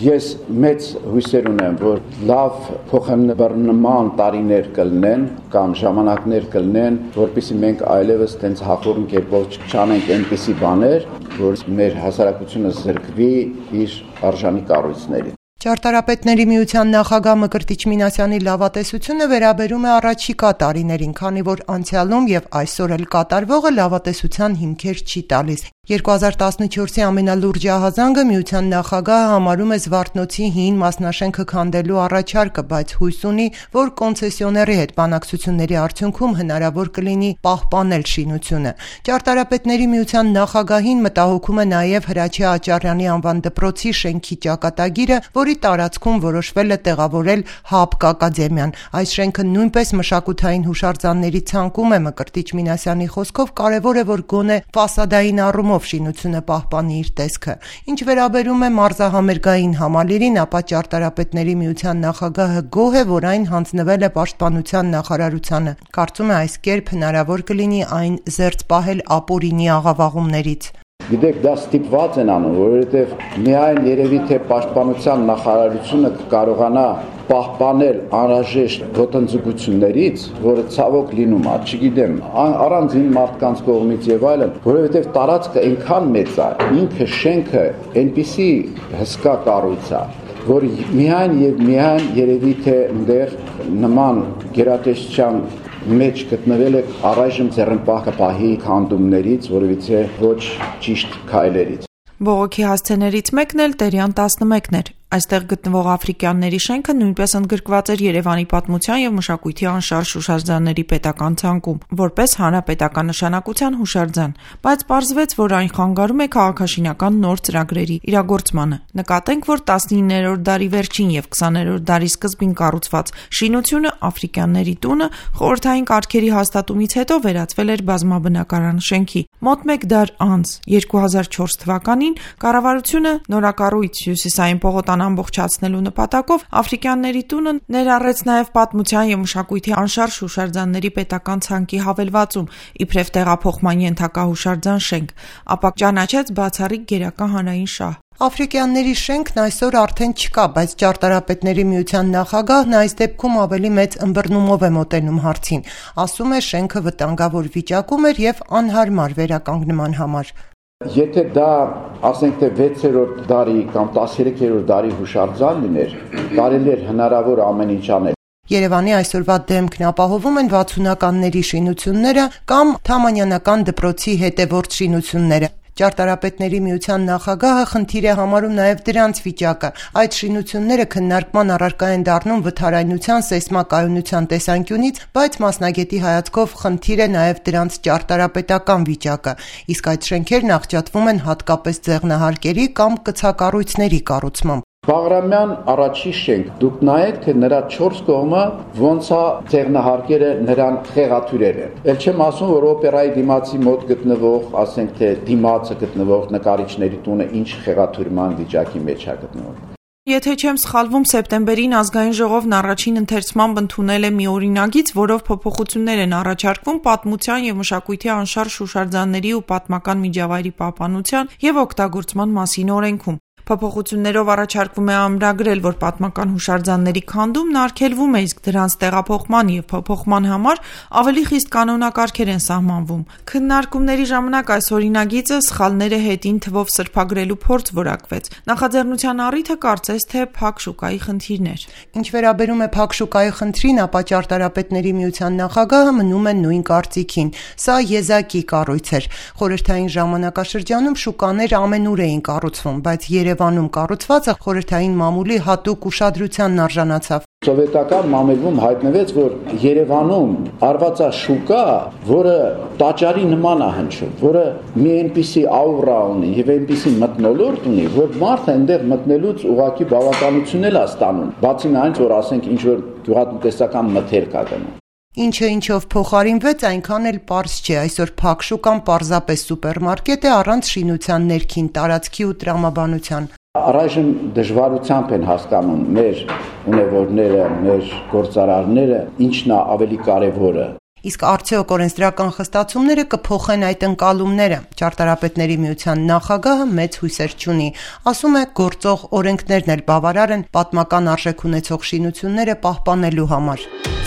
Ես մեծ հույսեր ունեմ, որ լավ փոխանցման տարիներ կլինեն կամ ժամանակներ կլինեն, որպեսզի մենք այլևս տենց հախորն կերպով չանենք այնպիսի բաներ, որ մեր հասարակությունը զրկվի իր արժանի կառույցներից։ Ճարտարապետների միության նախագահ Մկրտիչ Մինասյանի լավատեսությունը վերաբերում է առաջիկա տարիներին, քանի որ անցյալում եւ այսօր էլ կատարվողը լավատեսության հիմքեր չի տալիս։ 2014-ի ամենալուրջ ահազանգը միության նախագահը համարում է Զվարթնոցի հին մասնաշենքը քանդելու առաջարկը, բայց հույս ունի, որ կոնցեսիոների հետ բանակցությունների արդյունքում հնարավոր կլինի պահպանել շինությունը։ Ճարտարապետների միության նախագահին մտահոգում է նաև Հրաչյա Աճարյանի անվան դպրոցի շենքի ճակատագիրը, որի տարածքում որոշվել է տեղավորել ՀԱՊԿ ակադեմիան։ Այս շենքը նույնպես մշակութային հուշարձանների ցանկում է։ Մկրտիչ Մինասյանի խոսքով կարևոր է, որ գոնե ֆասադային առումով շինությունը պահպանի իր տեսքը։ Ինչ վերաբերում է մարզահամերգային համալիրին, ապա Ճարտարապետների միության նախագահը գոհ է, որ այն հանձնվել է Պաշտպանության նախարարությանը։ Կարծում է այս կերպ հնարավոր կլինի այն զերծ պահել ապօրինի աղավաղումներից։ Գիտեք, դա ստիպված են անում, որովհետև միայն երևի թե Պաշտպանության նախարարությունը կարողանա պահպանել անհրաժեշտ ոտնձգություններից, որը ցավոք լինում է, չգիտեմ, առանձին մարդկանց կողմից եւ այլն, որովհետև տարածքը այնքան մեծ է, ինքը շենքը այնպիսի հսկա կառույց է, որ միայն եւ միայն երևի թե այնտեղ նման գերատեսչության մեջ գտնվել է առայժմ ձեռնպահ կպահի քանդումներից, որովհետեւ ոչ ճիշտ քայլերից։ Բողոքի հասցեներից մեկն էլ Տերյան 11-ն էր։ Այստեղ գտնվող Աֆրիկյանների շենքը նույնպես ընդգրկված էր Երևանի պատմության եւ մշակույթի անշարժ հուշարձանների պետական ցանկում, որպես հանրապետական նշանակության հուշարձան, բայց պարզվեց, որ այն խանգարում է քաղաքաշինական նոր ծրագրերի իրագործմանը։ Նկատենք, որ 19-րդ դարի վերջին եւ 20-րդ դարի սկզբին կառուցված շինությունը Աֆրիկյանների տունը խորհրդային կարգերի հաստատումից հետո վերածվել էր բազմաբնակարան շենքի։ Մոտ 1 դար անց 2004 թվականին կառավարությունը նորակառույց Հյուսիսային պողոտան ամբողջացնելու նպատակով Աֆրիկյանների տունը ներառեց նաև պատմության եւ մշակույթի անշարժ հուշարձանների պետական ցանկի հավելվածում, իբրև տեղափոխման ենթակա հուշարձան շենք, ապա ճանաչեց բացառիկ գերական հանրային շահ։ Աֆրիկյանների շենքն այսօր արդեն չկա, բայց Ճարտարապետների միության նախագահն այս դեպքում ավելի մեծ ըմբռնումով է մոտենում հարցին։ Ասում է, շենքը վտանգավոր վիճակում էր եւ անհարմար վերականգնման համար։ Եթե դա, ասենք թե 6-րդ դարի կամ 13-րդ դարի հուշարձան լիներ, կարելի էր հնարավոր ամեն ինչ անել։ Երևանի այսօրվա դեմքն ապահովում են 60-ականների շինությունները կամ Թամանյանական դպրոցի հետևորդ շինությունները։ Ճարտարապետների միության նախագահը խնդիր է համարում նաև դրանց վիճակը։ Այդ շինությունները քննարկման առարկա են դառնում վթարայնության, սեյսմակայունության տեսանկյունից, բայց մասնագետի հայացքով խնդիր է նաև դրանց ճարտարապետական վիճակը։ Իսկ այդ շենքերն աղճատվում են հատկապես ձեղնահարկերի կամ կցակառույցների կառուցմամբ։ Բաղրամյան առաջի շենք, դուք նայեք, թե նրա 4 կողմը ոնց է ձեղնահարկերը նրան խեղաթյուրել են։ Էլ չեմ ասում, որ օպերայի դիմացի մոտ գտնվող, ասենք թե դիմացը գտնվող նկարիչների տունը ինչ խեղաթյուրման վիճակի մեջ է գտնվում։ Եթե չեմ սխալվում, սեպտեմբերին ազգային ժողովն առաջին ընթերցմամբ ընդունել է մի օրինագիծ, որով փոփոխություններ են առաջարկվում պատմության եւ մշակույթի անշարժ հուշարձանների ու պատմական միջավայրի պահպանության եւ օգտագործման մասին օրենքում։ Փոփոխություններով առաջարկվում է ամրագրել, որ պատմական հուշարձանների քանդումն արգելվում է, իսկ դրանց տեղափոխման եւ փոփոխման համար ավելի խիստ կանոնակարգեր են սահմանվում։ Քննարկումների ժամանակ այս օրինագիծը սխալները հետին թվով սրբագրելու փորձ որակվեց։ Նախաձեռնության առիթը կարծես թե փակ շուկայի խնդիրն էր։ Ինչ վերաբերում է փակ շուկայի խնդրին, ապա Ճարտարապետների միության նախագահը մնում է նույն կարծիքին։ Սա եզակի կառույց էր։ Խորհրդային ժամանակաշրջանում շուկաներ ամենուր էին կառուցվում, բայց Երևանում կառուցվածը խորհրդային մամուլի հատուկ ուշադրությանն արժանացավ։ Սովետական մամուլում հայտնվեց, որ Երևանում արված է շուկա, որը տաճարի նման է հնչում, որը մի այնպիսի աուրա ունի եւ այնպիսի մթնոլորտ ունի, որ մարդը այնտեղ մտնելուց ուղղակի բավականություն էլ է ստանում, բացի նրանից, որ ասենք ինչ որ գյուղատնտեսական մթերք է գնում։ Ինչը ինչով փոխարինվեց, այնքան էլ պարզ չէ։ Այսօր փակ շուկան պարզապես սուպերմարկետ է առանց շինության ներքին տարածքի ու տրամաբանության։ Առայժմ դժվարությամբ են հասկանում մեր ունևորները, մեր գործարարները, ինչն է ավելի կարևորը։ Իսկ արդյոք օրենսդրական խստացումները կփոխեն այդ ընկալումները։ Ճարտարապետների միության նախագահը մեծ հույսեր չունի, ասում է գործող օրենքներն էլ բավարար են պատմական արժեք ունեցող շինությունները պահպանելու համար։